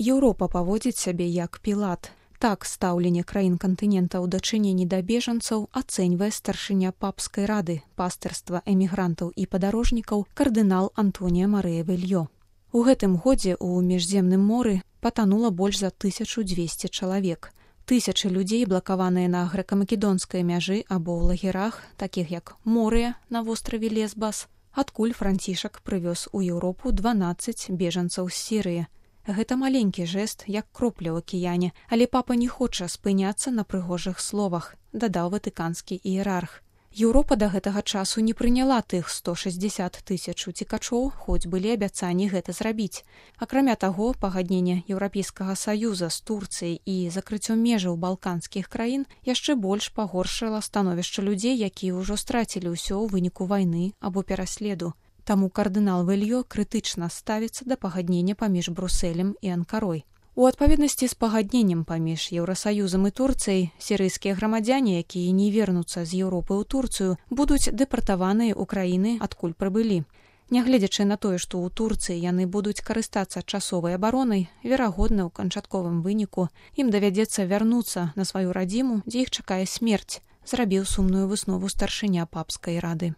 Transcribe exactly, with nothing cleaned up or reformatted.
Еўропа паводзіць сябе як пілат. Так стаўленне краін кантынента ў дачыненні да бежанцаў ацэньвае старшыня папскай рады, пастырства эмігрантаў і падарожнікаў кардынал Антонія Марыя Вельё. У гэтым годзе ў міжземным моры патанула больш за тысячу дзвесце чалавек. Тысячы людзей блакаваныя на грэка-македонскай мяжы або ў лагерах, такіх як Морыя на востраве Лесбас, адкуль Францішак прывёз у Еўропу дванаццаць бежанцаў з Сірыі. Гэта маленькі жэст, як кропля ў акіяне, але папа не хоча спыняцца на прыгожых словах, дадаў ватыканскі іерарх. Еўропа да гэтага часу не прыняла тых сто шэсцьдзесят тысяч уцекачоў, хоць былі абяцанні гэта зрабіць. Акрамя таго, пагадненне Еўрапейскага саюза з Турцыяй і закрыццём межаў балканскіх краін яшчэ больш пагоршыла становішча людзей, якія ўжо страцілі ўсё ў выніку вайны або пераследу. Таму кардынал Вельё крытычна ставіцца да пагаднення паміж Брусэлем і Анкарой. У адпаведнасці з пагадненнем паміж Еўрасаюзам і Турцыяй, сірыйскія грамадзяне, якія не вернуцца з Еўропы ў Турцыю, будуць дэпартаваныя ў краіны, адкуль прыбылі. Нягледзячы на тое, што ў Турцыі яны будуць карыстацца часовай абаронай, верагодна, ў канчатковым выніку ім давядзецца вярнуцца на сваю радзіму, дзе іх чакае смерць, зрабіў сумную выснову старшыня папскай рады.